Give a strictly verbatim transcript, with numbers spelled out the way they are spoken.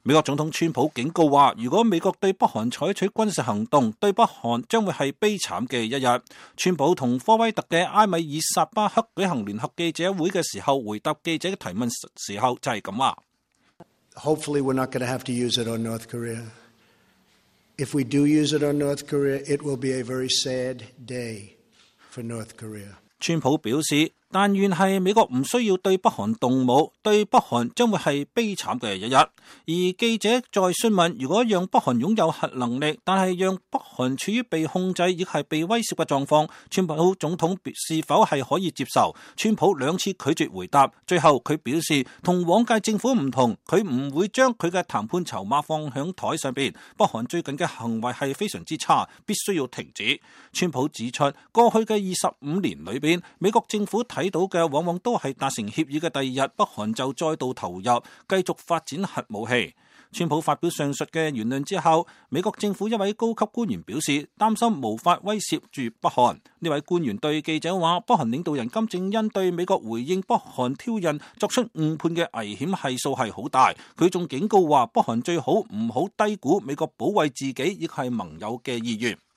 美國總統川普警告話，如果美國對北韓採取軍事行動，對北韓將會係悲慘嘅一日。川普同科威特嘅埃米爾薩巴克舉行聯合記者會嘅時候，回答記者嘅提問時候就係咁話。Hopefully we're not going to have to use it on North Korea. If we do use it on North Korea, it will be a very sad day for North Korea. 川普表示，但願係美國唔需要對北韓動武，對北韓將會係悲慘嘅一日。而記者再詢問，如果讓北韓擁有核能力，但係讓北韓處於被控制亦係被威懾嘅狀況，川普總統是否係可以接受？川普兩次拒絕回答，最後佢表示同往屆政府唔同，佢唔會將佢嘅談判籌碼放響台上邊。北韓最近嘅行為係非常之差，必須要停止。川普指出，過去嘅二十五年裏邊，美國政府睇到嘅往往都係達成協議嘅第二日，北韓就再度投入，繼續發展核武器。川普發表上述嘅言論之後，美國政府一位高級官員表示擔心無法威懾住北韓。呢位官員對記者話，北韓領導人金正恩對美國回應北韓挑釁作出誤判嘅危險係數係好大。佢仲警告話，北韓最好唔好低估美國保衛自己亦係盟友嘅意願。